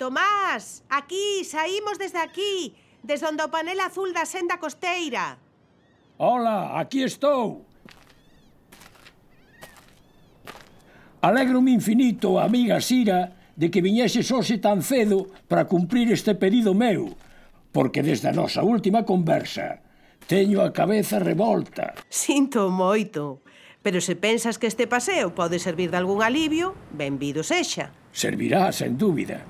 Tomás, aquí, saímos desde aquí, desde onde o panel azul da senda costeira. Hola, aquí estou. Alegro-me infinito, amiga Sira, de que viñeses hoxe tan cedo para cumprir este pedido meu, porque desde a nosa última conversa teño a cabeza revolta. Sinto moito, pero se pensas que este paseo pode servir de algún alivio, benvido sexa. Servirá, sen dúbida.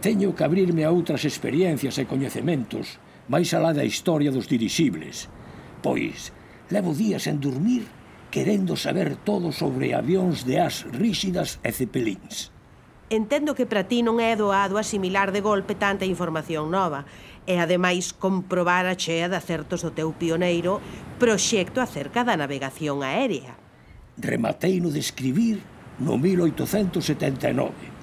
Teño que abrirme a outras experiencias e coñecementos máis alá da historia dos dirixibles, pois levo días en dormir querendo saber todo sobre avións de ás ríxidas e cepelíns. Entendo que para ti non é doado asimilar de golpe tanta información nova e, ademais, comprobar a chea de acertos do teu pioneiro proxecto acerca da navegación aérea. Rematei no de escribir no 1879.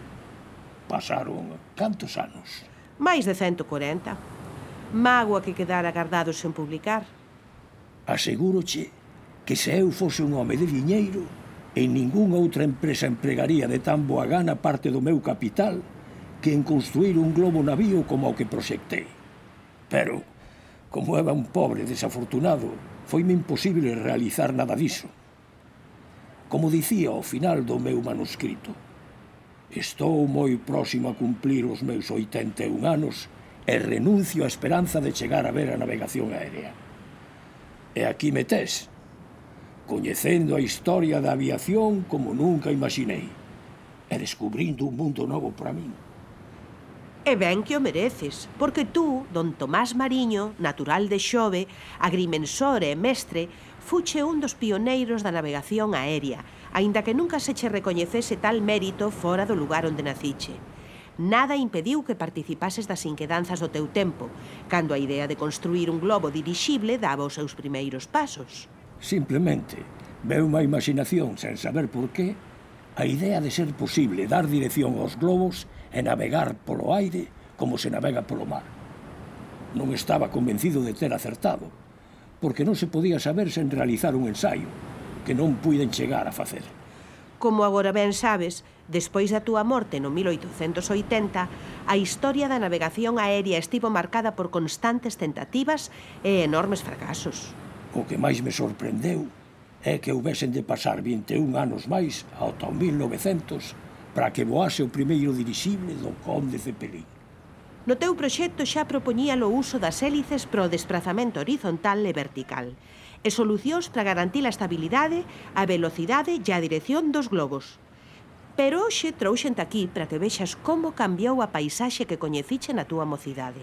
Pasaron cantos anos? Mais de 140. Mágoa que quedara guardados sen publicar. Asegúroche que se eu fose un home de diñeiro, en ningunha outra empresa empregaría de tan boa gana parte do meu capital que en construir un globo navío como o que proxectei. Pero, como era un pobre desafortunado, foime imposible realizar nada diso. Como dicía ao final do meu manuscrito, estou moi próximo a cumplir os meus 81 anos e renuncio á esperanza de chegar a ver a navegación aérea. E aquí me tes, coñecendo a historia da aviación como nunca imaginei e descubrindo un mundo novo para min. E ben que o mereces, porque tú, don Tomás Mariño, natural de Xove, agrimensor e mestre, fuche un dos pioneiros da navegación aérea, aínda que nunca se che recoñecese tal mérito fora do lugar onde naciche. Nada impediu que participases das inquedanzas do teu tempo, cando a idea de construir un globo dirixible daba os seus primeiros pasos. Simplemente, veu unha imaginación sen saber por qué, a idea de ser posible dar dirección aos globos e navegar polo aire como se navega polo mar. Non estaba convencido de ter acertado, porque non se podía saber sen realizar un ensaio, que non puiden chegar a facer. Como agora ben sabes, despois da túa morte no 1880, a historia da navegación aérea estivo marcada por constantes tentativas e enormes fracasos. O que máis me sorprendeu é que houvesen de pasar 21 anos máis ata o 1900 para que voase o primeiro dirixible do Conde Cepelín. No teu proxecto xa propoñía o uso das hélices para o desprazamento horizontal e vertical e solucións para garantir a estabilidade, a velocidade e a dirección dos globos. Pero hoxe trouxente aquí para que vexas como cambiou a paisaxe que coñeciche na túa mocidade.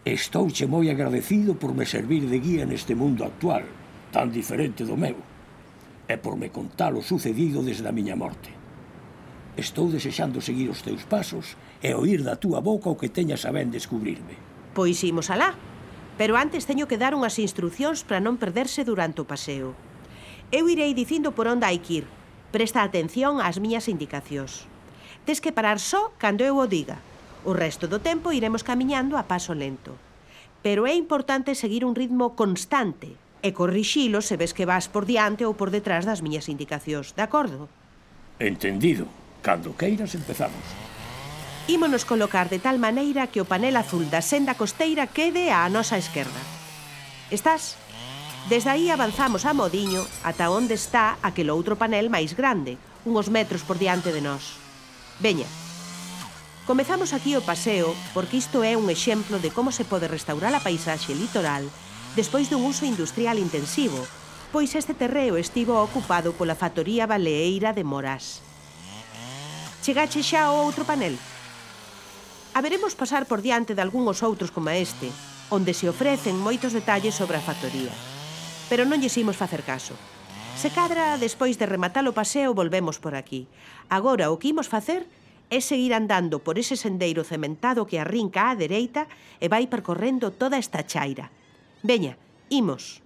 Estouche moi agradecido por me servir de guía neste mundo actual, tan diferente do meu, e por me contar o sucedido desde a miña morte. Estou desexando seguir os teus pasos e oír da túa boca o que teñas a ben descubrirme. Pois imos alá, pero antes teño que dar unhas instruccións para non perderse durante o paseo. Eu irei dicindo por onde hai que ir. Presta atención ás miñas indicacións. Tes que parar só cando eu o diga. O resto do tempo iremos camiñando a paso lento. Pero é importante seguir un ritmo constante e corrixilo se ves que vas por diante ou por detrás das miñas indicacións, de acordo? Entendido. Cando queiras empezamos. Ímonos colocar de tal maneira que o panel azul da senda costeira quede á nosa esquerda. Estás? Desde aí avanzamos a modiño ata onde está aquel outro panel máis grande, uns metros por diante de nós. Veña. Comezamos aquí o paseo porque isto é un exemplo de como se pode restaurar a paisaxe litoral despois dun uso industrial intensivo, pois este terreo estivo ocupado pola factoría baleeira de Morás. Chegache xa ao outro panel? Haberemos pasar por diante de algúns outros como este, onde se ofrecen moitos detalles sobre a factoría. Pero non lles imos facer caso. Se cadra, despois de rematar o paseo, volvemos por aquí. Agora, o que imos facer é seguir andando por ese sendeiro cementado que arrinca á dereita e vai percorrendo toda esta chaira. Veña, imos.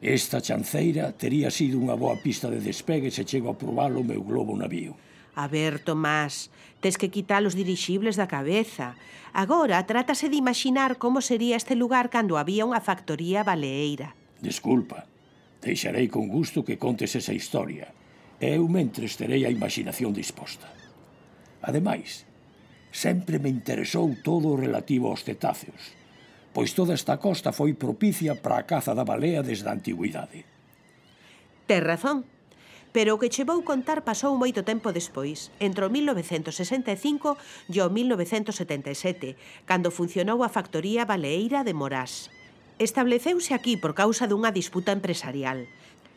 Esta chanceira tería sido unha boa pista de despegue se chego a probar o meu globo navío. A ver, Tomás, tes que quitar os dirixibles da cabeza. Agora trátase de imaginar como sería este lugar cando había unha factoría baleeira. Desculpa, deixarei con gusto que contes esa historia. Eu mentres terei a imaginación disposta. Ademais, Sempre me interesou todo o relativo aos cetáceos, pois toda esta costa foi propicia para a caza da balea desde a antigüidade. Tes razón, pero o que che vou contar pasou moito tempo despois, entre o 1965 e o 1977, cando funcionou a factoría baleeira de Morás. Estableceuse aquí por causa dunha disputa empresarial.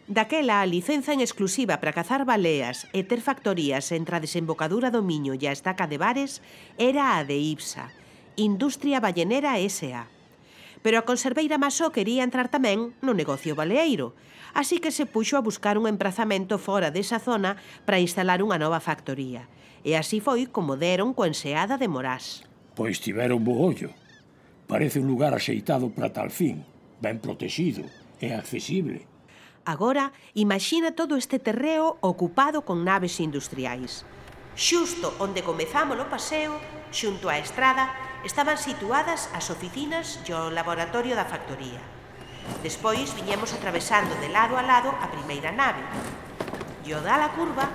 Daquela, a licenza en exclusiva para cazar baleas e ter factorías entre a desembocadura do Miño e a estaca de Bares era a de IBSA, Industria Ballenera S.A. Pero a conserveira Masó quería entrar tamén no negocio baleeiro, así que se puxo a buscar un emprazamento fora desa zona para instalar unha nova factoría. E así foi como deron co enseada de Morás. Pois tiveron bo ollo. Parece un lugar axeitado para tal fin, ben protegido e accesible. Agora, imagina todo este terreo ocupado con naves industriais. Xusto onde comezamos o paseo, xunto á estrada, estaban situadas as oficinas e o laboratorio da factoría. Despois viñemos atravesando de lado a lado a primeira nave. E ao dar a curva,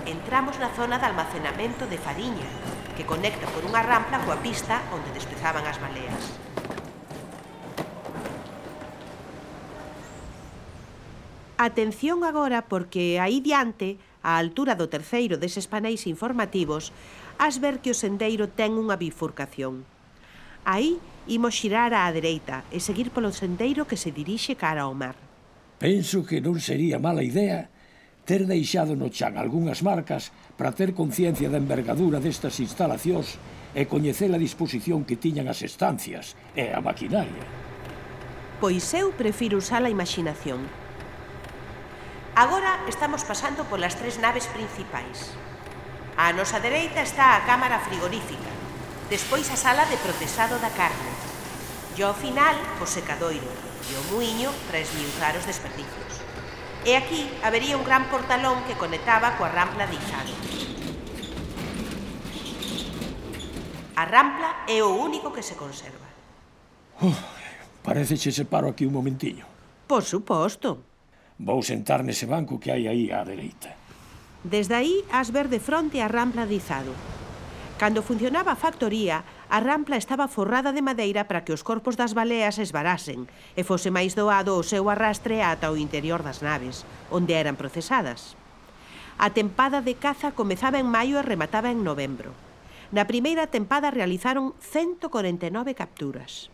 entramos na zona de almacenamento de fariña, que conecta por unha rampla coa pista onde despezaban as baleas. Atención agora porque aí diante, á altura do terceiro deses paneis informativos, has ver que o sendeiro ten unha bifurcación. Aí imos xirar á dereita e seguir polo sendeiro que se dirixe cara ao mar. Penso que non sería mala idea ter deixado no chan algunhas marcas para ter conciencia da envergadura destas instalacións e coñecer a disposición que tiñan as estancias e a maquinaria. Pois eu prefiro usar a imaginación. Agora estamos pasando polas tres naves principais. Á nosa dereita está a cámara frigorífica, despois a sala de procesado da carne, e ao final o secadoiro e o muiño para esmiuzar os desperdicios. E aquí habería un gran portalón que conectaba coa rampla de Izado. A rampla é o único que se conserva. Parece che separo aquí un momentiño. Por suposto. Vou sentar nese banco que hai aí á dereita. Desde aí has ver de fronte a rampla de Izado. Cando funcionaba a factoría, a rampla estaba forrada de madeira para que os corpos das baleas esvarasen e fose máis doado o seu arrastre ata o interior das naves, onde eran procesadas. A tempada de caza comezaba en maio e remataba en novembro. Na primeira tempada realizaron 149 capturas.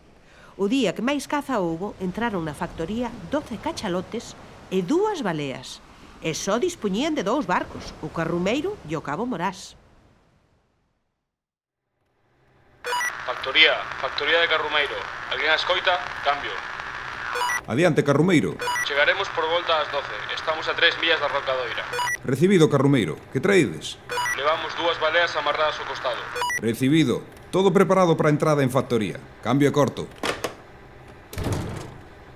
O día que máis caza houbo, entraron na factoría 12 cachalotes e 2 baleas, e só dispoñían de 2 barcos, o Carrumeiro e o Cabo Morás. Factoría de Carrumeiro. Alguén a escoita? Cambio. Adiante, Carrumeiro. Chegaremos por volta ás 12. Estamos a 3 millas da Rocadoira. Recibido, Carrumeiro. Que traídes? Levamos 2 baleas amarradas ao costado. Recibido. Todo preparado para a entrada en factoría. Cambio e corto.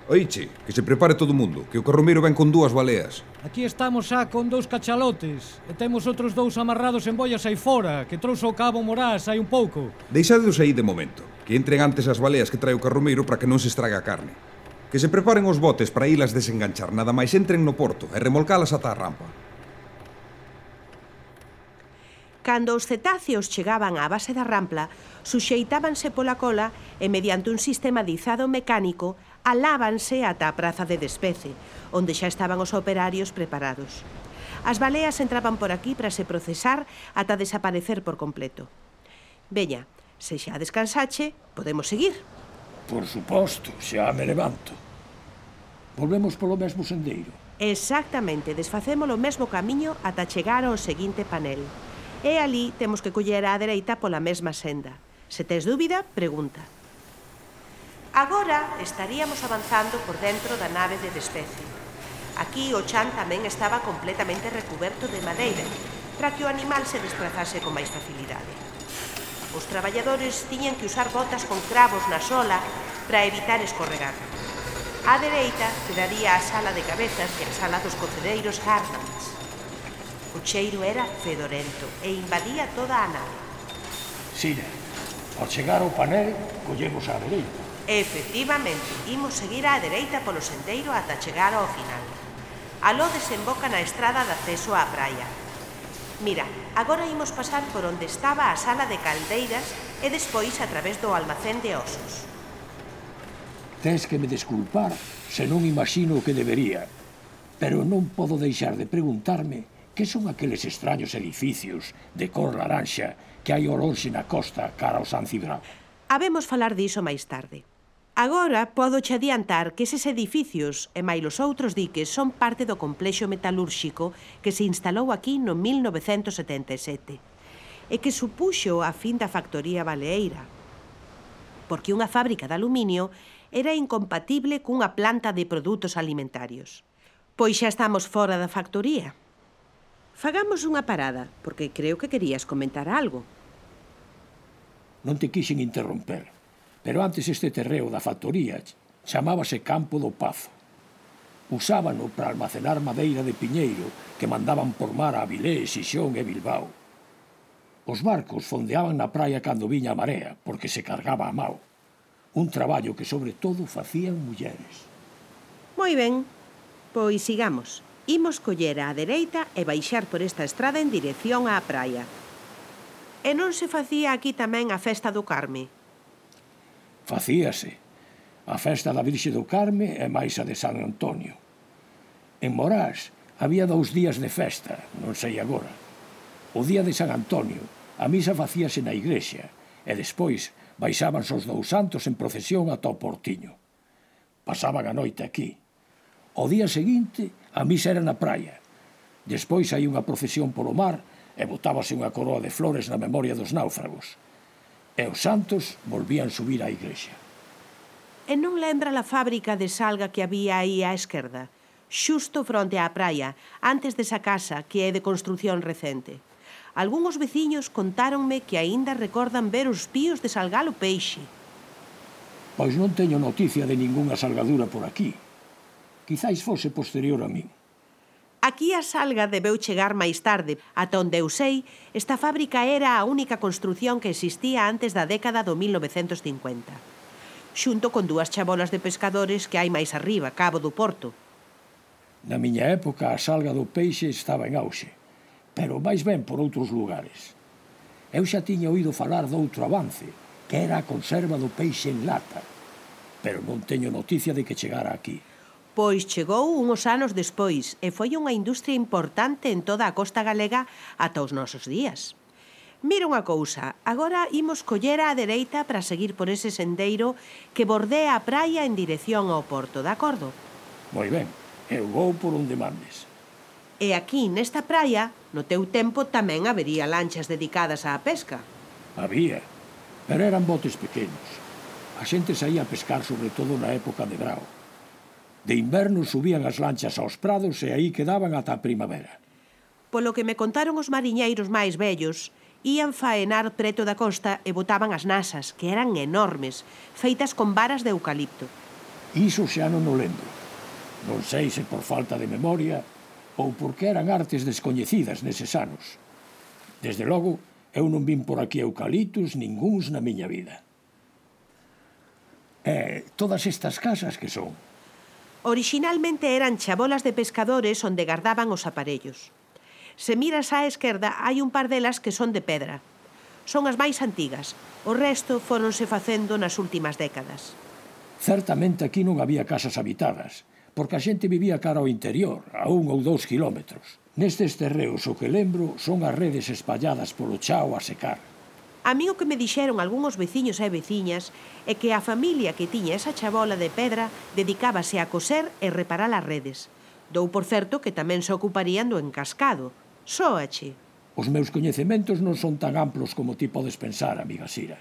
Oiche, que se prepare todo o mundo, que o Carrumeiro ven con 2 baleas. Aquí estamos xa con 2 cachalotes e temos outros 2 amarrados en boias aí fora, que trouxo o Cabo Morás hai un pouco. Deixadeos aí de momento, que entren antes as baleas que trae o Carrumeiro para que non se estrague a carne. Que se preparen os botes para ilas desenganchar, nada máis entren no porto e remolcalas ata a rampa. Cando os cetáceos chegaban á base da rampla, suxeitábanse pola cola e mediante un sistema de izado mecánico alábanse ata a praza de despece, onde xa estaban os operarios preparados. As baleas entraban por aquí para se procesar ata desaparecer por completo. Veña, se xa descansache, podemos seguir. Por suposto, xa me levanto. Volvemos polo mesmo sendeiro. Exactamente, desfacemos o mesmo camiño ata chegar ao seguinte panel. E ali temos que coller á dereita pola mesma senda. Se tes dúbida, pregunta. Agora estaríamos avanzando por dentro da nave de despece. Aquí o chan tamén estaba completamente recuberto de madeira, para que o animal se desplazase con máis facilidade. Os traballadores tiñan que usar botas con cravos na sola para evitar escorregar. Á dereita quedaría a sala de cabezas e a sala dos cocedeiros Hartmans. O cheiro era fedorento e invadía toda a nave. Sira, ao chegar ao panel, collemos á dereita. Efectivamente, imos seguir á dereita polo sendeiro ata chegar ao final. Aló desemboca na estrada de acceso á praia. Mira, agora imos pasar por onde estaba a sala de caldeiras e despois a través do almacén de osos. Tes que me desculpar se non imagino o que debería, pero non podo deixar de preguntarme que son aqueles extraños edificios de cor laranxa que hai ao lonxe na costa cara ao San Cibrao. Habemos falar diso máis tarde. Agora podo che adiantar que eses edificios e máis os outros diques son parte do complexo metalúrxico que se instalou aquí no 1977 e que supuxo a fin da factoría baleeira, porque unha fábrica de aluminio era incompatible cunha planta de produtos alimentarios. Pois xa estamos fora da factoría. Fagamos unha parada, porque creo que querías comentar algo. Non te quixen interromper, pero antes este terreo da factoría chamábase Campo do Pazo. Usábano para almacenar madeira de piñeiro que mandaban por mar a Avilés, Xixón e Bilbao. Os barcos fondeaban na praia cando viña a marea, porque se cargaba a mao. Un traballo que sobre todo facían mulleres. Moi ben, pois sigamos. Imos coller á dereita e baixar por esta estrada en dirección á praia. E non se facía aquí tamén a festa do Carme? Facíase. A festa da Virxe do Carme e máis a de San Antonio. En Morás había 2 días de festa, non sei agora. O día de San Antonio, a misa facíase na igrexa e despois baixábanse os 2 santos en procesión ata o Portiño. Pasaban a noite aquí. O día seguinte, a misa era na praia. Despois hai unha procesión polo mar e botábase unha coroa de flores na memoria dos náufragos. E os santos volvían subir á igrexa. E non lembra a fábrica de salga que había aí á esquerda, xusto fronte á praia, antes desa casa que é de construción recente? Algúns veciños contáronme que aínda recordan ver os píos de salgar o peixe. Pois non teño noticia de ningunha salgadura por aquí. Quizáis fose posterior a min. Aquí a salga debeu chegar máis tarde. Ata onde eu sei, esta fábrica era a única construción que existía antes da década do 1950. Xunto con 2 chabolas de pescadores que hai máis arriba, cabo do Porto. Na miña época a salga do peixe estaba en auxe, pero máis ben por outros lugares. Eu xa tiña oído falar doutro avance, que era a conserva do peixe en lata, pero non teño noticia de que chegara aquí. Pois chegou uns anos despois e foi unha industria importante en toda a costa galega ata os nosos días. Mira unha cousa, agora imos coller á dereita para seguir por ese sendeiro que bordea a praia en dirección ao porto, de acordo? Moi ben, eu vou por onde mandes. E aquí, nesta praia, no teu tempo tamén habería lanchas dedicadas á pesca. Había, pero eran botes pequenos. A xente saía a pescar sobre todo na época de brao. De inverno subían as lanchas aos prados e aí quedaban ata a primavera. Polo que me contaron os mariñeiros máis vellos, ían faenar preto da costa e botaban as nasas, que eran enormes, feitas con varas de eucalipto. Iso xa non o lembro. Non sei se por falta de memoria ou porque eran artes descoñecidas neses anos. Desde logo, eu non vin por aquí eucaliptos ningúns na miña vida. E todas estas casas que son? Orixinalmente eran chabolas de pescadores onde gardaban os aparellos. Se miras á esquerda, hai un par delas que son de pedra. Son as máis antigas. O resto fóronse facendo nas últimas décadas. Certamente aquí non había casas habitadas, porque a xente vivía cara ao interior, a 1 ou 2 kilómetros. Nestes terreos o que lembro son as redes espalladas polo chao a secar. A mí o que me dixeron algúns veciños e veciñas é que a familia que tiña esa chabola de pedra dedicábase a coser e reparar as redes. Dou por certo que tamén se ocuparían do encascado. Sóache. Os meus coñecementos non son tan amplos como ti podes pensar, amiga Sira.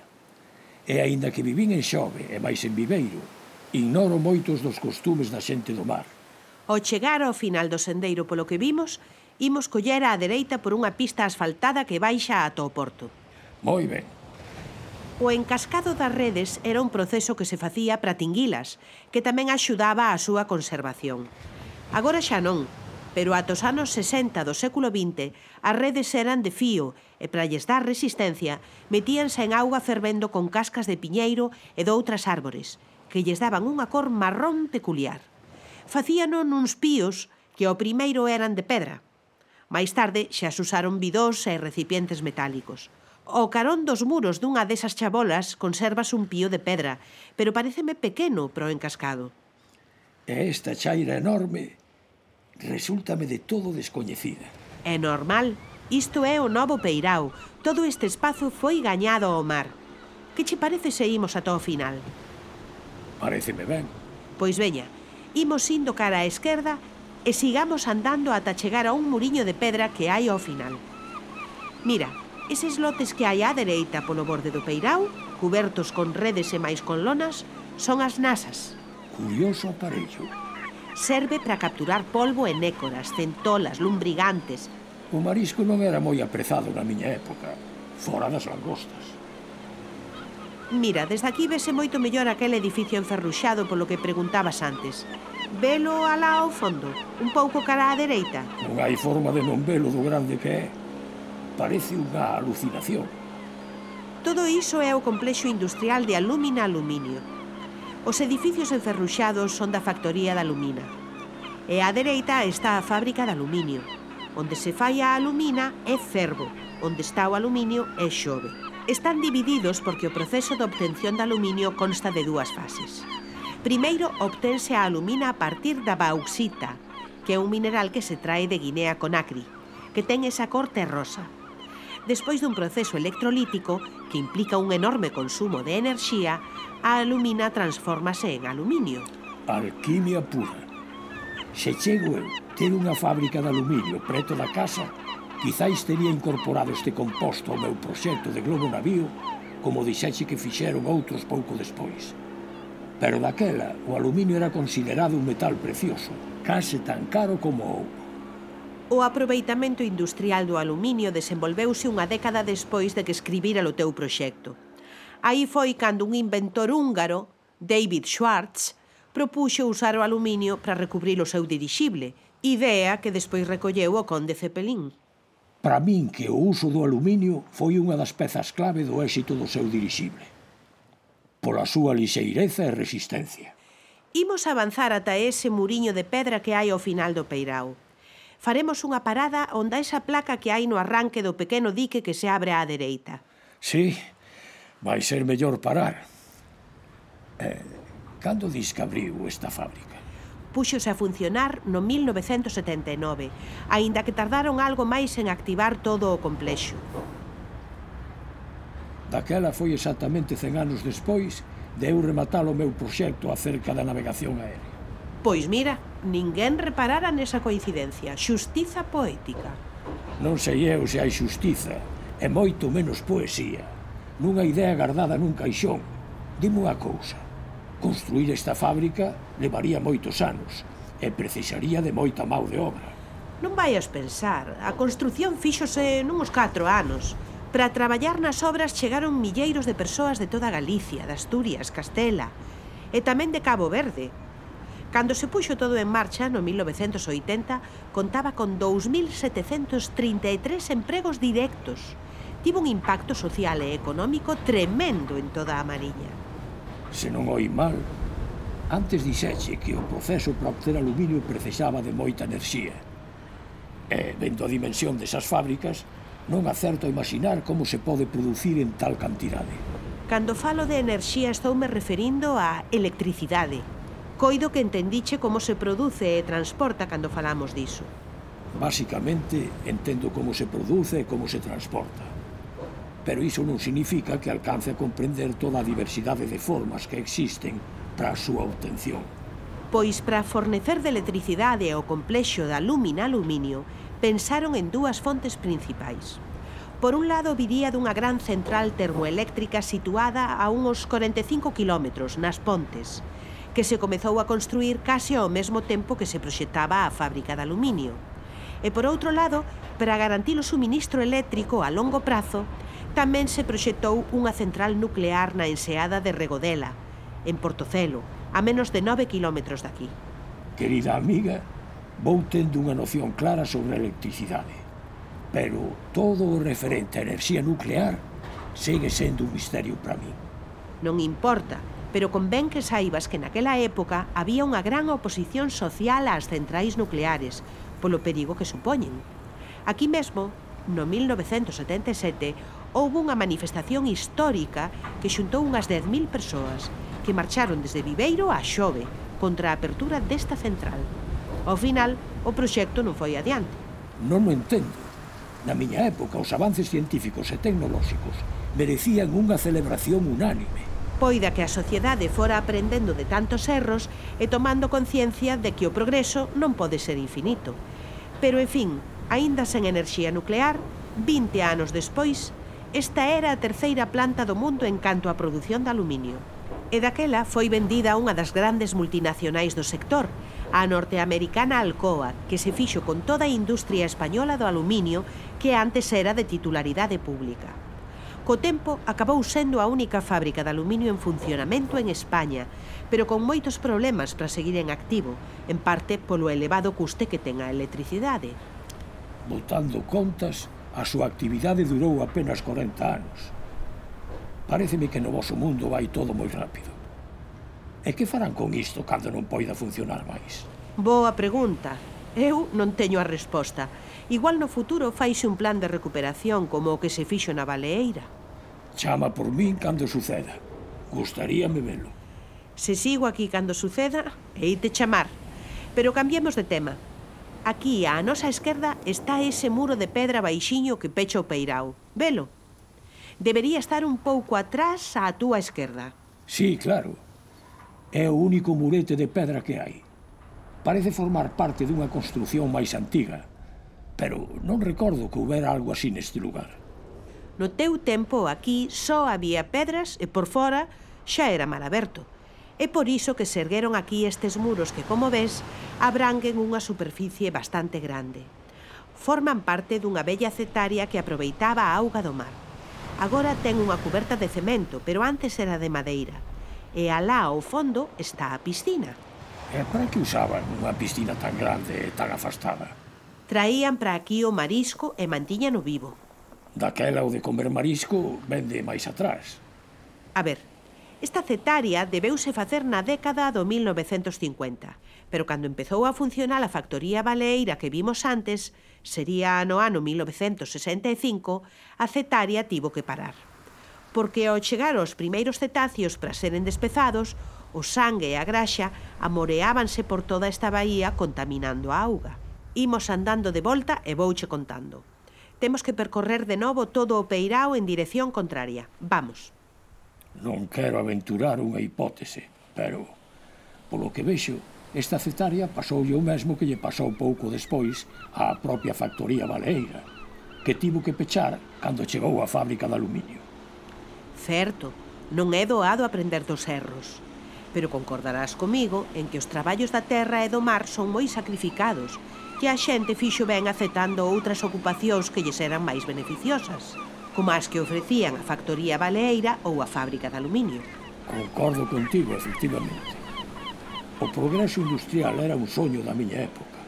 E aínda que vivín en Xove e máis en Viveiro, ignoro moitos dos costumes da xente do mar. Ao chegar ao final do sendeiro polo que vimos, imos coller á dereita por unha pista asfaltada que baixa ata o porto. Moi ben. O encascado das redes era un proceso que se facía para tinguilas, que tamén axudaba á súa conservación. Agora xa non, pero ata os anos 60 do século XX as redes eran de fío e para lles dar resistencia metíanse en auga fervendo con cascas de piñeiro e doutras árbores, que lles daban unha cor marrón peculiar. Facíano nuns píos que ao primeiro eran de pedra. Máis tarde xa se usaron bidós e recipientes metálicos. Ao carón dos muros dunha desas chabolas conservas un pío de pedra, pero paréceme pequeno para o encascado. E esta chaira enorme resúltame de todo descoñecida. É normal. Isto é o novo Peirao. Todo este espazo foi gañado ao mar. Que che parece se imos ata o final? Paréceme ben. Pois veña, imos indo cara á esquerda e sigamos andando ata chegar a un muriño de pedra que hai ao final. Mira, eses lotes que hai á dereita polo borde do Peirao, cubertos con redes e máis con lonas, son as nasas. Curioso aparello. Serve para capturar polvo e nécoras, centolas, lumbrigantes. O marisco non era moi aprezado na miña época, fora das langostas. Mira, desde aquí vese moito mellor aquel edificio enferruxado polo que preguntabas antes. Velo alá ao fondo, un pouco cara á dereita. Non hai forma de non velo do grande que é. Parece unha alucinación. Todo iso é o complexo industrial de Alumina Aluminio. Os edificios enferruxados son da factoría da Alumina. E á dereita está a fábrica de aluminio. Onde se fai a alumina é Cervo, onde está o aluminio é Xove. Están divididos porque o proceso de obtención de aluminio consta de dúas fases. Primeiro, obtense a alumina a partir da bauxita, que é un mineral que se trae de Guinea Conakry, que ten esa cor terrosa. Despois dun proceso electrolítico, que implica un enorme consumo de enerxía, a alumina transfórmase en aluminio. Alquimia pura. Se chego eu ter unha fábrica de aluminio preto da casa, quizáis tería incorporado este composto ao meu proxecto de globo navío, como dixeche que fixeron outros pouco despois. Pero daquela, o aluminio era considerado un metal precioso, case tan caro como o ouro. O aproveitamento industrial do aluminio desenvolveuse unha década despois de que escribira o teu proxecto. Aí foi cando un inventor húngaro, David Schwartz, propuxo usar o aluminio para recubrir o seu dirixible, idea que despois recolleu o conde Zeppelin. Para min que o uso do aluminio foi unha das pezas clave do éxito do seu dirixible. Pola súa lixeireza e resistencia. Imos avanzar ata ese muriño de pedra que hai ao final do Peirao. Faremos unha parada onde esa placa que hai no arranque do pequeno dique que se abre á dereita. Sí, vai ser mellor parar. Cando dis que abriu esta fábrica? Púxose a funcionar no 1979, aínda que tardaron algo máis en activar todo o complexo. Daquela foi exactamente 100 anos despois de eu rematar o meu proxecto acerca da navegación aérea. Pois mira, ninguén reparara nesa coincidencia. Xustiza poética. Non sei eu se hai xustiza, e moito menos poesía, nunha idea guardada nun caixón. Dime unha cousa. Construir esta fábrica levaría moitos anos e precisaría de moita mão de obra. Non vaias pensar, a construción fíxose nuns 4 anos. Para traballar nas obras chegaron milleiros de persoas de toda Galicia, de Asturias, Castela e tamén de Cabo Verde. Cando se puxo todo en marcha, no 1980, contaba con 2.733 empregos directos. Tivo un impacto social e económico tremendo en toda a Mariña. Se non oi mal, antes dixeche que o proceso para obter aluminio precisaba de moita enerxía. E, vendo a dimensión desas fábricas, non acerto a imaginar como se pode producir en tal cantidade. Cando falo de enerxía estoume referindo á electricidade. Coido que entendiche como se produce e transporta cando falamos diso. Básicamente, entendo como se produce e como se transporta. Pero iso non significa que alcance a comprender toda a diversidade de formas que existen para a súa obtención. Pois para fornecer de electricidade ao complexo da Alumina Aluminio, pensaron en dúas fontes principais. Por un lado, viría dunha gran central termoeléctrica situada a uns 45 kilómetros nas Pontes, que se comezou a construir case ao mesmo tempo que se proxectaba a fábrica de aluminio. E por outro lado, para garantir o suministro eléctrico a longo prazo, tamén se proxectou unha central nuclear na enseada de Regodela, en Portocelo, a menos de 9 kilómetros daqui. Querida amiga, vou tendo unha noción clara sobre a electricidade, pero todo o referente a enerxía nuclear segue sendo un misterio para mí. Non importa, pero convén que saibas que naquela época había unha gran oposición social ás centrais nucleares, polo perigo que supoñen. Aquí mesmo, no 1977, houve unha manifestación histórica que xuntou unhas 10.000 persoas que marcharon desde Viveiro a Xove contra a apertura desta central. Ao final, o proxecto non foi adiante. Non o entendo. Na miña época, os avances científicos e tecnolóxicos merecían unha celebración unánime. Poida que a sociedade fora aprendendo de tantos erros e tomando conciencia de que o progreso non pode ser infinito. Pero, en fin, aínda sen enerxía nuclear, 20 anos despois, esta era a terceira planta do mundo en canto á produción de aluminio. E daquela foi vendida a unha das grandes multinacionais do sector, a norteamericana Alcoa, que se fixo con toda a industria española do aluminio que antes era de titularidade pública. Co tempo, acabou sendo a única fábrica de aluminio en funcionamento en España, pero con moitos problemas para seguir en activo, en parte polo elevado custe que ten a electricidade. Botando contas, a súa actividade durou apenas 40 anos. Paréceme que no voso mundo vai todo moi rápido. E que farán con isto cando non poida funcionar máis? Boa pregunta. Eu non teño a resposta. Igual no futuro faise un plan de recuperación como o que se fixo na Baleeira. Chama por min cando suceda. Gustaríame velo. Se sigo aquí cando suceda, heite chamar. Pero cambiemos de tema. Aquí, á nosa esquerda, está ese muro de pedra baixiño que pecha o peirao. Velo? Debería estar un pouco atrás á túa esquerda. Sí, claro. É o único murete de pedra que hai. Parece formar parte dunha construción máis antiga, pero non recordo que houbera algo así neste lugar. No teu tempo, aquí só había pedras e por fora xa era mar aberto. É por iso que se ergueron aquí estes muros que, como ves, abranguen unha superficie bastante grande. Forman parte dunha bella cetaria que aproveitaba a auga do mar. Agora ten unha cuberta de cemento, pero antes era de madeira. E alá ao fondo está a piscina. E para que usaban unha piscina tan grande e tan afastada? Traían para aquí o marisco e mantiñano vivo. Daquela o de comer marisco vende máis atrás. A ver, esta cetaria debeuse facer na década do 1950, pero cando empezou a funcionar a factoría baleeira que vimos antes, sería no ano 1965, a cetaria tivo que parar. Porque ao chegar os primeiros cetáceos para seren despezados, o sangue e a graxa amoreábanse por toda esta baía contaminando a auga. Imos andando de volta e vouche contando. Temos que percorrer de novo todo o peirao en dirección contraria. Vamos. Non quero aventurar unha hipótese, pero, polo que vexo, esta cetaria pasoulle o mesmo que lle pasou pouco despois á propia factoría baleeira, que tivo que pechar cando chegou a fábrica de aluminio. Certo, non é doado aprender dos erros, pero concordarás comigo en que os traballos da terra e do mar son moi sacrificados, que a xente fixo ben aceptando outras ocupacións que lles eran máis beneficiosas, como as que ofrecían a factoría baleeira ou a fábrica de aluminio. Concordo contigo, efectivamente. O progreso industrial era un soño da miña época.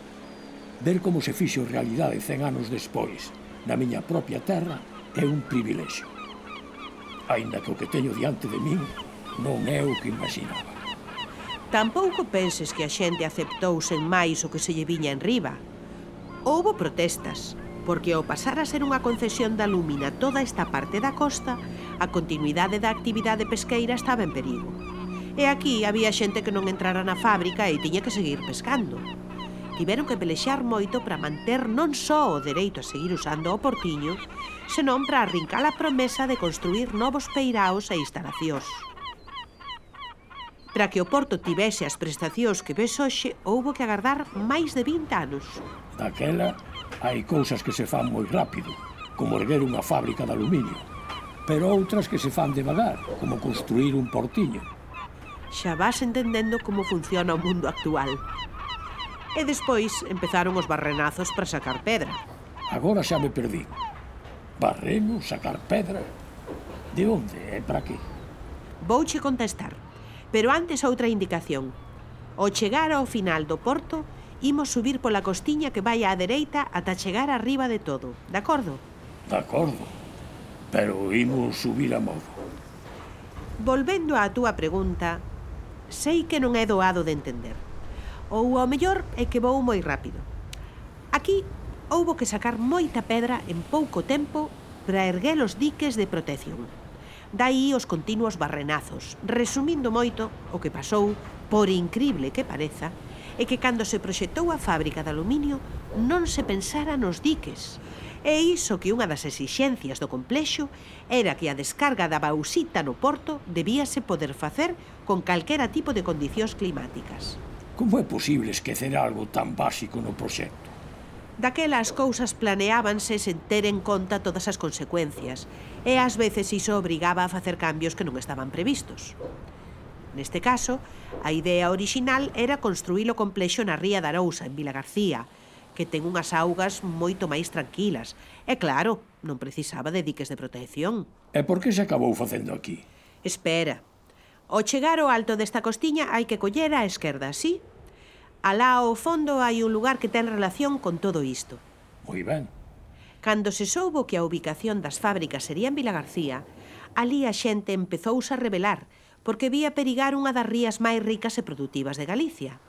Ver como se fixo realidade 100 anos despois, na miña propia terra, é un privilexio. Aínda que o que teño diante de min non é o que imaginaba. Tampouco penses que a xente aceptou sen máis o que se lle viña en riba. Houbo protestas, porque ao pasar a ser unha concesión da Lúmina toda esta parte da costa, a continuidade da actividade pesqueira estaba en perigo. E aquí había xente que non entrara na fábrica e tiña que seguir pescando. Tiveron que pelexar moito para manter non só o dereito a seguir usando o portiño, senón para arrincar a promesa de construir novos peiraos e instalacións. Para que o porto tivese as prestacións que ves hoxe, houbo que agardar máis de 20 anos. Daquela, hai cousas que se fan moi rápido, como erguer unha fábrica de aluminio, pero outras que se fan devagar, como construir un portiño. Xa vas entendendo como funciona o mundo actual. E despois empezaron os barrenazos para sacar pedra. Agora xa me perdí. Barreno, sacar pedra... De onde e para que? Vouche contestar, pero antes outra indicación. Ao chegar ao final do porto, imos subir pola costiña que vai á dereita ata chegar arriba de todo, de acordo? De acordo, pero imos subir a modo. Volvendo á túa pregunta, sei que non é doado de entender. Ou ao mellor é que vou moi rápido. Aquí houbo que sacar moita pedra en pouco tempo para erguer os diques de protección. Daí os continuos barrenazos. Resumindo moito, o que pasou, por incrible que pareza, é que cando se proxectou a fábrica de aluminio non se pensara nos diques. E iso que unha das exixencias do complexo era que a descarga da bauxita no porto debíase poder facer con calquera tipo de condicións climáticas. Como é posible esquecer algo tan básico no proxecto? Daquela as cousas planeábanse sen ter en conta todas as consecuencias e ás veces iso obrigaba a facer cambios que non estaban previstos. Neste caso, a idea orixinal era construir o complexo na ría de Arousa, en Vilagarcía, que ten unhas augas moito máis tranquilas. E claro, non precisaba de diques de protección. E por que se acabou facendo aquí? Espera. Ao chegar ao alto desta costiña hai que coller á esquerda, sí? Alá ao fondo hai un lugar que ten relación con todo isto. Moi ben. Cando se soubo que a ubicación das fábricas sería en Vilagarcía, ali a xente empezouse a rebelar porque vía perigar unha das rías máis ricas e produtivas de Galicia.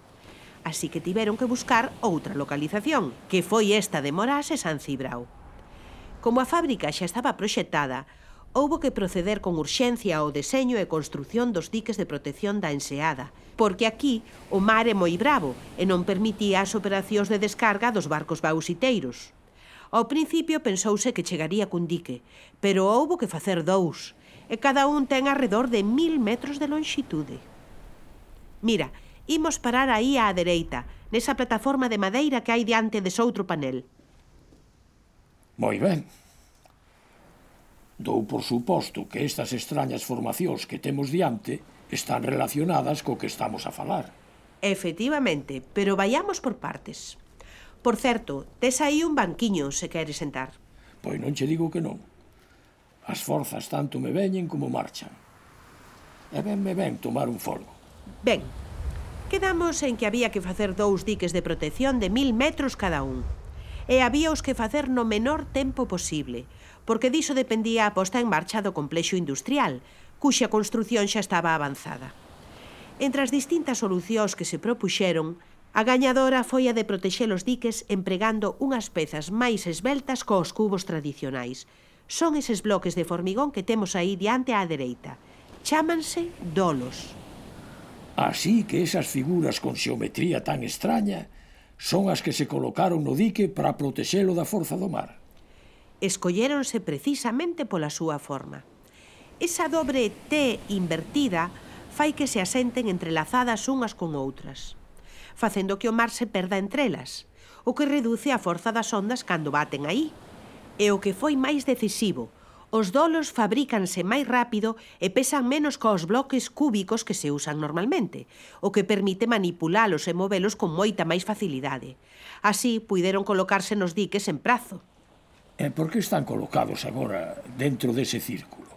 Así que tiveron que buscar outra localización, que foi esta de Morás e San Cibrao. Como a fábrica xa estaba proxectada, houbo que proceder con urxencia ao deseño e construción dos diques de protección da enseada, porque aquí o mar é moi bravo e non permitía as operacións de descarga dos barcos bauxiteiros. Ao principio pensouse que chegaría cun dique, pero houbo que facer dous, e cada un ten arredor de 1000 metros de lonxitude. Mira, imos parar aí á dereita, nesa plataforma de madeira que hai diante dese outro panel. Moi ben. Dou por suposto que estas extrañas formacións que temos diante están relacionadas co que estamos a falar. Efectivamente, pero vayamos por partes. Por certo, tes aí un banquiño se queres sentar. Pois non che digo que non. As forzas tanto me veñen como marchan. E ben me ven tomar un folgo. Ben, quedamos en que había que facer dous diques de protección de 1000 metros cada un. E habíaos que facer no menor tempo posible, porque diso dependía a posta en marcha do complexo industrial, cuxa construción xa estaba avanzada. Entre as distintas solucións que se propuxeron, a gañadora foi a de protexer os diques empregando unhas pezas máis esveltas cos cubos tradicionais. Son eses bloques de formigón que temos aí diante á dereita. Chámanse dolos. Así que esas figuras con xeometría tan extraña son as que se colocaron no dique para protexelo da forza do mar. Escolléronse precisamente pola súa forma. Esa dobre T invertida fai que se asenten entrelazadas unhas con outras, facendo que o mar se perda entre elas, o que reduce a forza das ondas cando baten aí. E o que foi máis decisivo, os dolos fabrícanse máis rápido e pesan menos cos bloques cúbicos que se usan normalmente, o que permite manipulalos e movelos con moita máis facilidade. Así, puideron colocarse nos diques en prazo. E por que están colocados agora dentro dese círculo?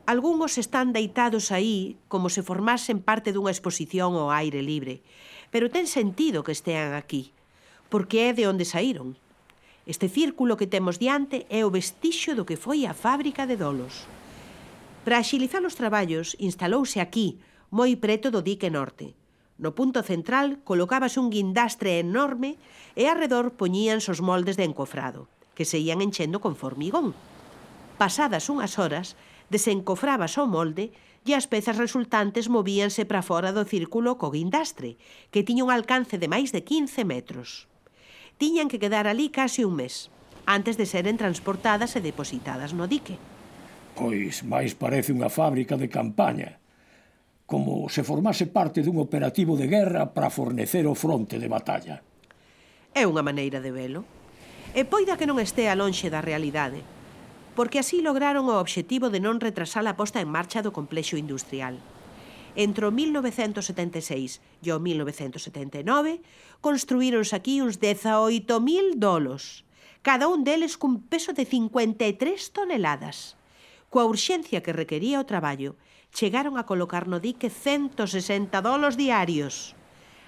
Algúns están deitados aí como se formasen parte dunha exposición ao aire libre, pero ten sentido que estean aquí, porque é de onde saíron. Este círculo que temos diante é o vestixio do que foi a fábrica de dolos. Para axilizar os traballos, instalouse aquí, moi preto do dique norte. No punto central colocábase un guindastre enorme e arredor poñíanse os moldes de encofrado, que se ían enchendo con formigón. Pasadas unhas horas, desencofrábase o molde e as pezas resultantes movíanse para fora do círculo co guindastre, que tiña un alcance de máis de 15 metros. Tiñan que quedar ali case un mes, antes de seren transportadas e depositadas no dique. Pois máis parece unha fábrica de campaña, como se formase parte dun operativo de guerra para fornecer o fronte de batalla. É unha maneira de velo. E poida que non estea lonxe da realidade, porque así lograron o obxectivo de non retrasar a posta en marcha do complexo industrial. Entre o 1976 e o 1979, construíronse aquí uns 18.000 dolos, cada un deles cun peso de 53 toneladas. Coa urxencia que requería o traballo, chegaron a colocar no dique 160 dolos diarios.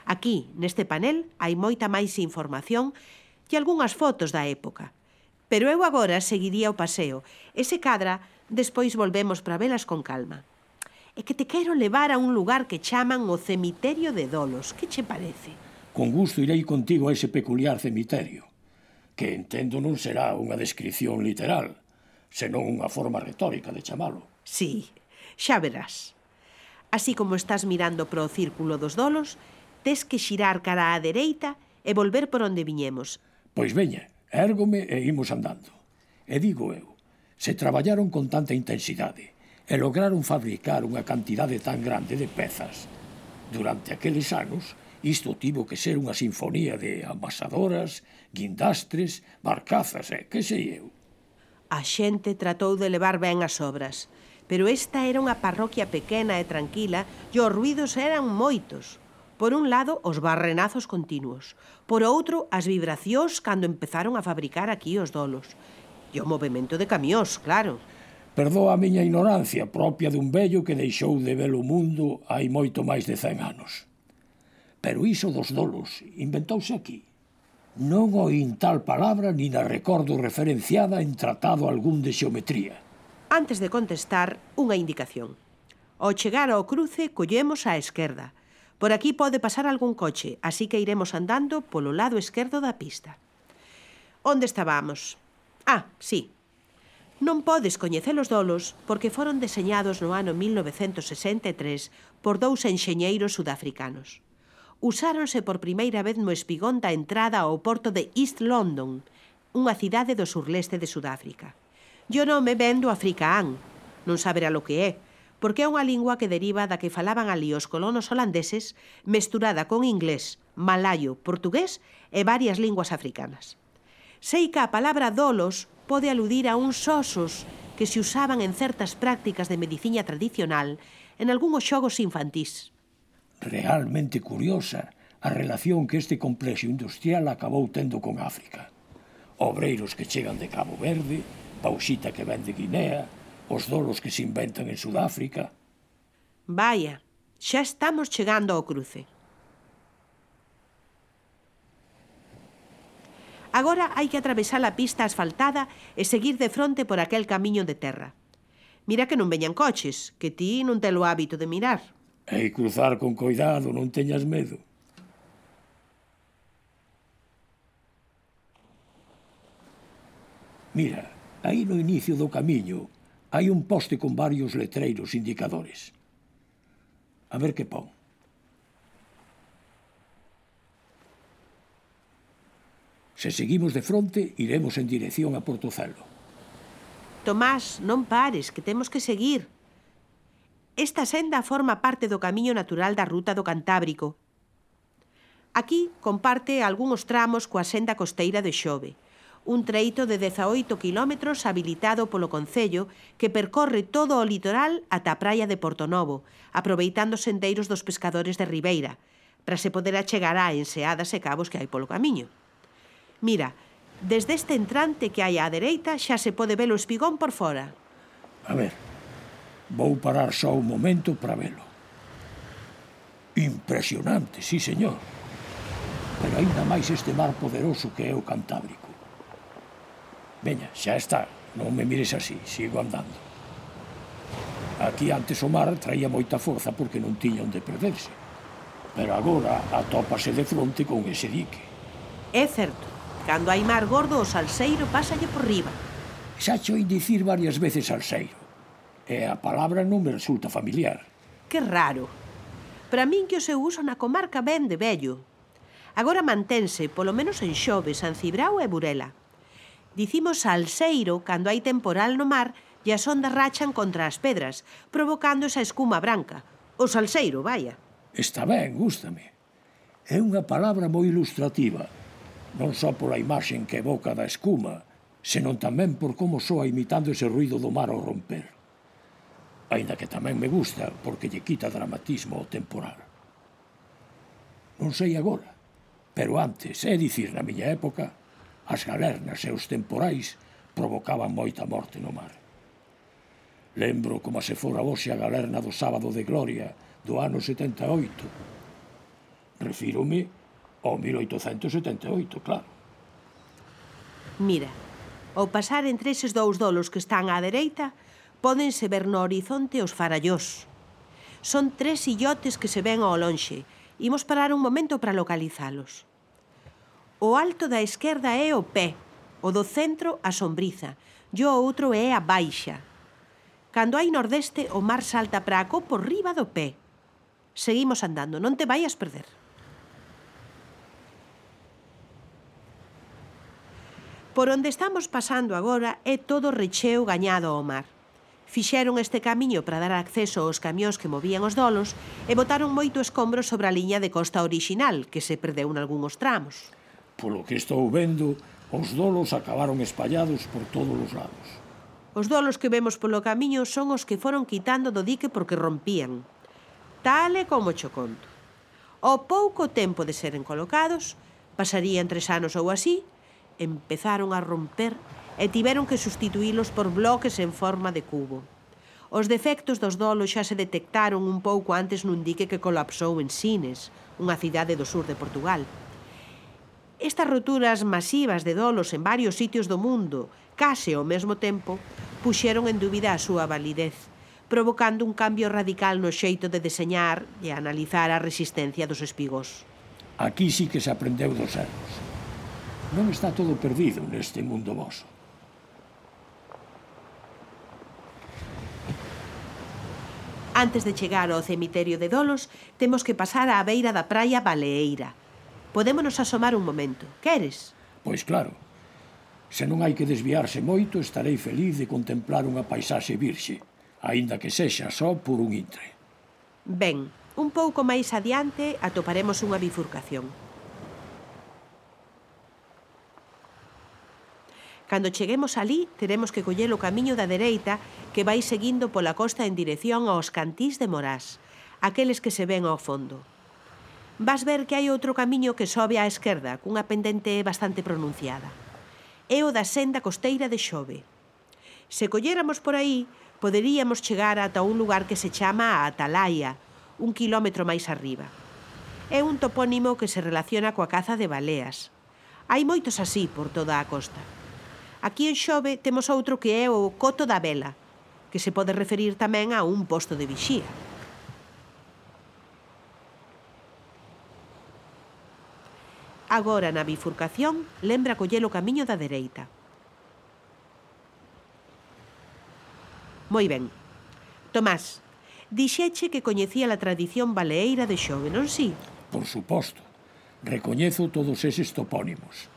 Aquí, neste panel, hai moita máis información e algunhas fotos da época. Pero eu agora seguiría o paseo, e se cadra, despois volvemos para velas con calma. É que te quero levar a un lugar que chaman o cemiterio de Dolos. Que che parece? Con gusto irei contigo a ese peculiar cemiterio, que entendo non será unha descripción literal, senón unha forma retórica de chamalo. Sí, xa verás. Así como estás mirando pro círculo dos dolos, tes que xirar cara á dereita e volver por onde viñemos. Pois veña, érgome e imos andando. E digo eu, se traballaron con tanta intensidade e lograron fabricar unha cantidade tan grande de pezas, durante aqueles anos, isto tivo que ser unha sinfonía de amasadoras, guindastres, barcazas e que sei eu. A xente tratou de levar ben as obras, pero esta era unha parroquia pequena e tranquila e os ruidos eran moitos. Por un lado, os barrenazos continuos. Por outro, as vibracións cando empezaron a fabricar aquí os dolos. E o movimento de camións, claro. Perdoa a miña ignorancia propia dun vello que deixou de ver o mundo hai moito máis de 100 anos. Pero iso dos dolos inventouse aquí. Non oín tal palabra ni na recordo referenciada en tratado algún de xeometría. Antes de contestar, unha indicación. Ao chegar ao cruce, collemos á esquerda. Por aquí pode pasar algún coche, así que iremos andando polo lado esquerdo da pista. Onde estábamos? Sí. Non podes coñecer os dolos porque foron deseñados no ano 1963 por dous enxeñeiros sudafricanos. Usáronse por primeira vez no espigón da entrada ao porto de East London, unha cidade do surleste de Sudáfrica. E o nome ven do afrikaán, non saberá lo que é, porque é unha lingua que deriva da que falaban ali os colonos holandeses mesturada con inglés, malayo, portugués e varias linguas africanas. Sei que a palabra dolos pode aludir a uns osos que se usaban en certas prácticas de medicina tradicional en algúns xogos infantís. Realmente curiosa a relación que este complexo industrial acabou tendo con África. Obreiros que chegan de Cabo Verde, bauxita que ven de Guinea, os dolos que se inventan en Sudáfrica. Vaya, xa estamos chegando ao cruce. Agora hai que atravesar a pista asfaltada e seguir de fronte por aquel camiño de terra. Mira que non veñan coches, que ti non te lo hábito de mirar. E cruzar con coidado, non teñas medo. Mira, aí no inicio do camiño hai un poste con varios letreiros indicadores. A ver que pon. Se seguimos de fronte, iremos en dirección a Portocelo. Tomás, non pares, que temos que seguir. Esta senda forma parte do camiño natural da ruta do Cantábrico. Aquí comparte algúns tramos coa senda costeira de Xove, un treito de 18 kilómetros habilitado polo Concello que percorre todo o litoral ata a praia de Portonovo, aproveitando os sendeiros dos pescadores de Ribeira, para se poder achegar a enseadas e cabos que hai polo camiño. Mira, desde este entrante que hai á dereita xa se pode ver o espigón por fora. A ver, vou parar só un momento para velo. Impresionante, sí, señor. Pero aínda máis este mar poderoso que é o Cantábrico. Veña, xa está, non me mires así, sigo andando. Aquí antes o mar traía moita forza porque non tiña onde perderse. Pero agora atópase de fronte con ese dique. É certo, cando hai mar gordo o salseiro pásalle por riba. Xa cho oín dicir varias veces salseiro. E a palabra non me resulta familiar. Que raro. Para min que o seu uso na comarca ven de vello. Agora mantense, polo menos en Xove, San Cibrao e Burela. Dicimos salseiro cando hai temporal no mar e as ondas rachan contra as pedras, provocando esa escuma branca. O salseiro, vaya. Está ben, gústame. É unha palabra moi ilustrativa, non só pola imaxen que evoca da escuma, senón tamén por como soa imitando ese ruido do mar ao romper. Aínda que tamén me gusta porque lle quita dramatismo ao temporal. Non sei agora, pero antes, é dicir, na miña época, as galernas e os temporais provocaban moita morte no mar. Lembro como se fora hoxe a galerna do Sábado de Gloria do ano 78. Refírome ao 1878, claro. Mira, ao pasar entre eses dous dolos que están á dereita, pódense ver no horizonte os farallós. Son 3 illotes que se ven ao lonxe. Imos parar un momento para localizalos. O alto da esquerda é o Pé, O do centro, a sombriza, e o outro é a baixa. Cando hai nordeste, o mar salta para acó por riba do pé. Seguimos andando, non te vayas perder. Por onde estamos pasando agora é todo recheo gañado ao mar. Fixeron este camiño para dar acceso aos camións que movían os dolos e botaron moito escombro sobre a liña de costa orixinal, que se perdeu nalgúns tramos. Polo que estou vendo, os dolos acabaron espallados por todos os lados. Os dolos que vemos polo camiño son os que foron quitando do dique porque rompían. Tal e como cho conto. Ao pouco tempo de seren colocados, pasarían 3 anos ou así, empezaron a romper e tiveron que sustituílos por bloques en forma de cubo. Os defectos dos dolos xa se detectaron un pouco antes nun dique que colapsou en Sines, unha cidade do sur de Portugal. Estas roturas masivas de dolos en varios sitios do mundo, case ao mesmo tempo, puxeron en dúbida a súa validez, provocando un cambio radical no xeito de deseñar e analizar a resistencia dos espigos. Aquí sí que se aprendeu dos erros. Non está todo perdido neste mundo voso. Antes de chegar ao cemiterio de dolos, temos que pasar á beira da praia Baleeira. Podémonos asomar un momento. Queres? Pois claro. Se non hai que desviarse moito, estarei feliz de contemplar unha paisaxe virxe, aínda que sexa só por un intre. Ben, un pouco máis adiante atoparemos unha bifurcación. Cando cheguemos alí, teremos que coller o camiño da dereita que vai seguindo pola costa en dirección aos cantís de Morás, aqueles que se ven ao fondo. Vas ver que hai outro camiño que sobe á esquerda, cunha pendente bastante pronunciada. É o da senda costeira de Xove. Se colléramos por aí, poderíamos chegar ata un lugar que se chama a Atalaia, 1 kilómetro máis arriba. É un topónimo que se relaciona coa caza de baleas. Hai moitos así por toda a costa. Aquí en Xove temos outro que é o Coto da Vela, que se pode referir tamén a un posto de vixía. Agora, na bifurcación, lembra coller o camiño da dereita. Moi ben. Tomás, dixeche que coñecía a tradición baleeira de Xove, non si? Por suposto. Recoñezo todos eses topónimos.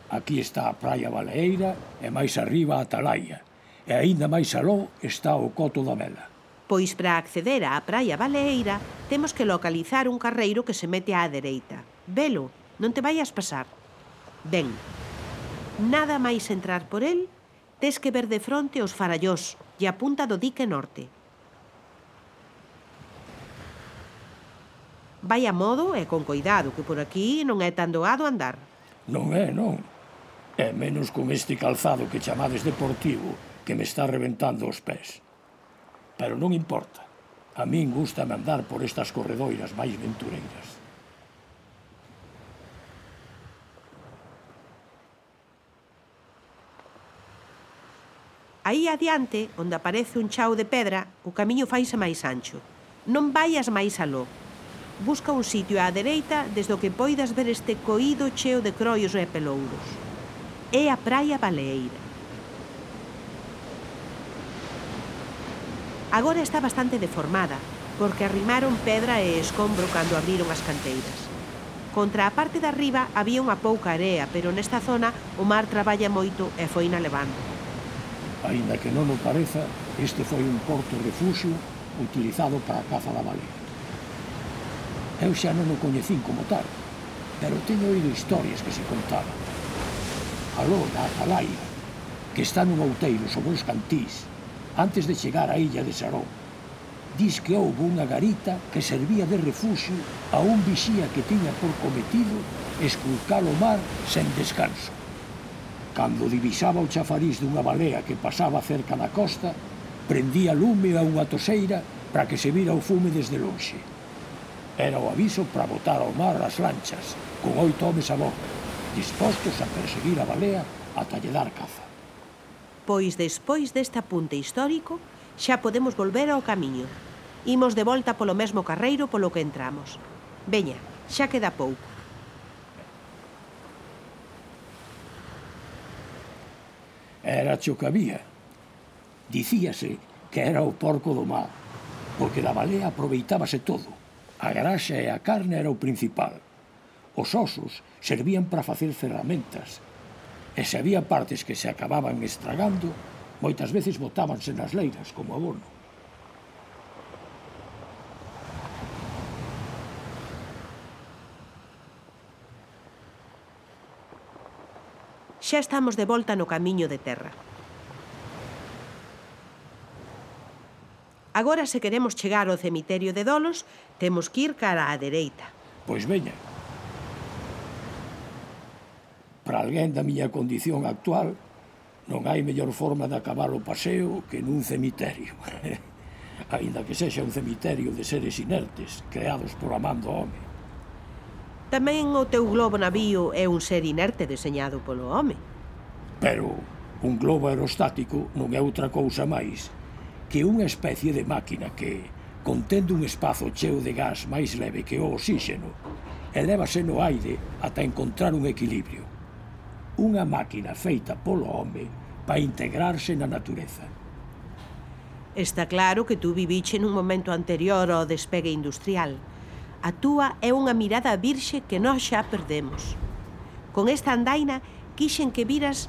Aquí está a praia Baleeira e máis arriba a Atalaia. E aínda máis aló está o Coto da Vela. Pois para acceder á praia Baleeira temos que localizar un carreiro que se mete á dereita. Velo, non te vayas pasar. Ben, nada máis entrar por el, tes que ver de fronte os farallós e a punta do dique norte. Vai a modo e con coidado, que por aquí non é tan doado andar. Non é, non. É menos con este calzado que chamades deportivo que me está reventando os pés. Pero non importa. A min gústame andar por estas corredoiras máis ventureiras. Aí adiante, onde aparece un chao de pedra, o camiño faise máis ancho. Non vayas máis aló. Busca un sitio á dereita desde o que poidas ver este coído cheo de croios e pelouros. É a praia Baleeira. Agora está bastante deformada, porque arrimaron pedra e escombro cando abriron as canteiras. Contra a parte de arriba había unha pouca area, pero nesta zona o mar traballa moito e foina levando. Aínda que non o pareza, este foi un porto refugio utilizado para a caza da balea. Eu xa non o coñecín como tal, pero teño oído historias que se contaban. Aló, na Atalaia, que está nun outeiro sobre os cantís, antes de chegar á illa de Sarón. Dis que houve unha garita que servía de refuxio a un vixía que tiña por cometido esculcar o mar sen descanso. Cando divisaba o chafariz dunha balea que pasaba cerca da costa, prendía lume a unha toseira para que se vira o fume desde lonxe. Era o aviso para botar ao mar as lanchas, con 8 homes a bordo, dispostos a perseguir a balea ata lle dar caza. Pois despois deste apunte histórico, xa podemos volver ao camiño. Imos de volta polo mesmo carreiro polo que entramos. Veña, xa queda pouco. Era cho que había. Dicíase que era o porco do mar, porque da balea aproveitábase todo. A graxa e a carne era o principal. Os osos servían para facer ferramentas, e se había partes que se acababan estragando, moitas veces botábanse nas leiras como abono. Xa estamos de volta no camiño de terra. Agora, se queremos chegar ao cemiterio de Dolos, temos que ir cara á dereita. Pois veña. Para alguén da miña condición actual, non hai mellor forma de acabar o paseo que nun cemiterio. Aínda que sexa un cemiterio de seres inertes, creados por amando home. Tamén o teu globo navío é un ser inerte deseñado polo home. Pero un globo aerostático non é outra cousa máis que unha especie de máquina que, contendo un espazo cheo de gas máis leve que o oxíxeno, elévase no aire ata encontrar un equilibrio. Unha máquina feita polo home para integrarse na natureza. Está claro que tú viviche nun momento anterior ao despegue industrial. A túa é unha mirada virxe que nós xa perdemos. Con esta andaina quixen que viras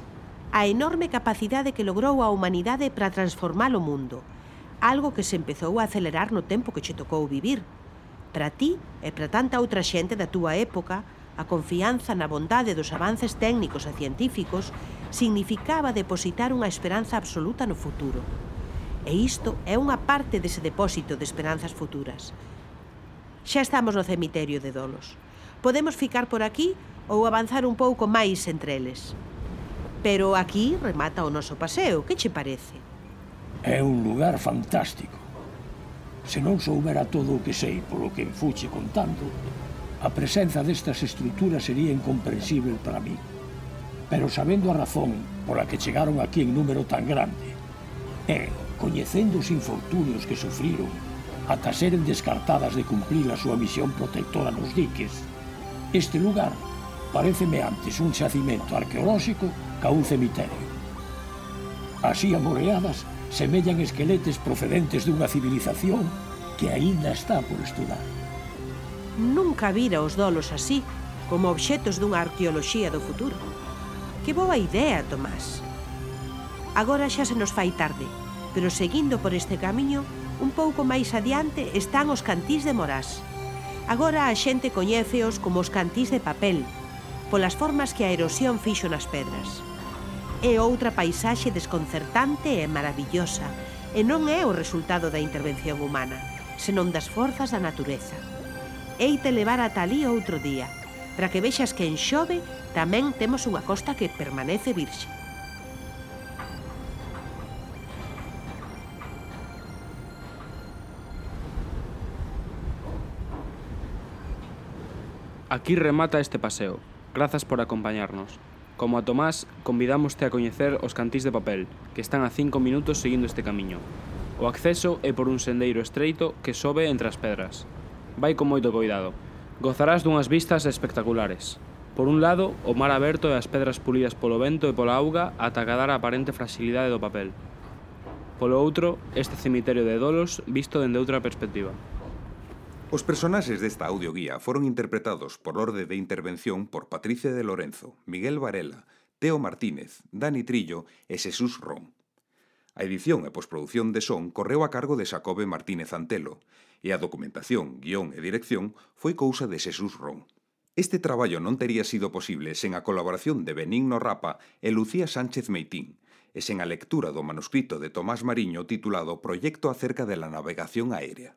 a enorme capacidade que logrou a humanidade para transformar o mundo, algo que se empezou a acelerar no tempo que che tocou vivir. Para ti e para tanta outra xente da túa época, a confianza na bondade dos avances técnicos e científicos significaba depositar unha esperanza absoluta no futuro. E isto é unha parte dese depósito de esperanzas futuras. Xa estamos no cemiterio de Dolos. Podemos ficar por aquí ou avanzar un pouco máis entre eles. Pero aquí remata o noso paseo, que che parece? É un lugar fantástico. Se non soubera todo o que sei polo que fuche contando, a presenza destas estruturas sería incomprensível para mí. Pero sabendo a razón pola que chegaron aquí en número tan grande, e coñecendo os infortunios que sufriron ata seren descartadas de cumprir a súa misión protectora nos diques, este lugar paréceme antes un xacimento arqueolóxico ca un cemiterio. Así amoreadas, semellan esqueletes procedentes dunha civilización que aínda está por estudar. Nunca vira os Dolos así, como obxetos dunha arqueoloxía do futuro. Que boa idea, Tomás. Agora xa se nos fai tarde, pero seguindo por este camiño, un pouco máis adiante están os cantís de Morás. Agora a xente coñéceos como os cantís de papel, polas formas que a erosión fixo nas pedras. É outra paisaxe desconcertante e maravillosa, e non é o resultado da intervención humana, senón das forzas da natureza. Heite levar ata alí outro día, para que vexas que en Xove tamén temos unha costa que permanece virxe. Aquí remata este paseo. Grazas por acompañarnos. Como a Tomás, convidámoste a coñecer os cantís de papel, que están a 5 minutos seguindo este camiño. O acceso é por un sendeiro estreito que sobe entre as pedras. Vai con moito cuidado. Gozarás dunhas vistas espectaculares. Por un lado, o mar aberto e as pedras pulidas polo vento e pola auga ata acadar a aparente fragilidade do papel. Polo outro, este cemiterio de Dolos visto dende outra perspectiva. Os personaxes desta audioguía foron interpretados por orde de intervención por Patricia de Lorenzo, Miguel Varela, Teo Martínez, Dani Trillo e Xesús Ron. A edición e posproducción de son correu a cargo de Xacobe Martínez Antelo e a documentación, guión e dirección foi cousa de Xesús Ron. Este traballo non tería sido posible sen a colaboración de Benigno Rapa e Lucía Sánchez Meitín e sen a lectura do manuscrito de Tomás Mariño titulado Proyecto acerca de la navegación aérea.